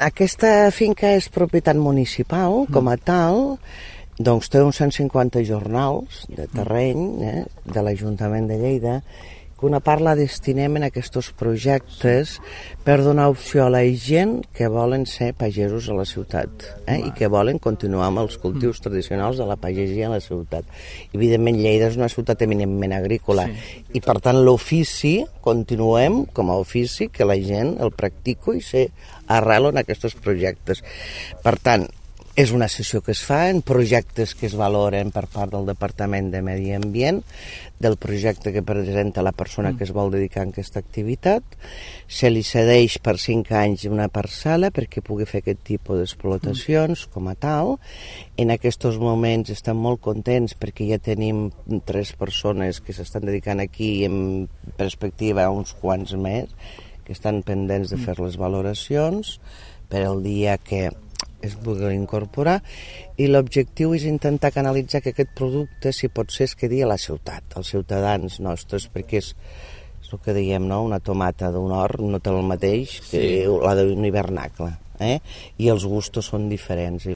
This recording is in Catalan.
Aquesta finca és propietat municipal, com a tal, doncs té uns 150 jornals de terreny de l'Ajuntament de Lleida, que una part la destinem en aquests projectes per donar opció a la gent que volen ser pagesos a la ciutat i que volen continuar amb els cultius tradicionals de la pagesia a la ciutat. Evidentment, Lleida és una ciutat eminentment agrícola i, per tant, l'ofici, continuem com a ofici, que la gent el practica i s'arrela en aquests projectes. Per tant, és una sessió que es fa en projectes que es valoren per part del Departament de Medi Ambient, del projecte que presenta la persona que es vol dedicar a aquesta activitat. Se li cedeix per 5 anys una parcel·la perquè pugui fer aquest tipus d'explotacions com a tal. En aquests moments estem molt contents perquè ja tenim 3 persones que s'estan dedicant aquí i en perspectiva uns quants més que estan pendents de fer les valoracions per al dia que es pugui incorporar, i l'objectiu és intentar canalitzar que aquest producte, si pot ser, es quedi a la ciutat, als ciutadans nostres, perquè és el que diem, no? Una tomata d'un hort no té el mateix que la d'un hivernacle, i els gustos són diferents.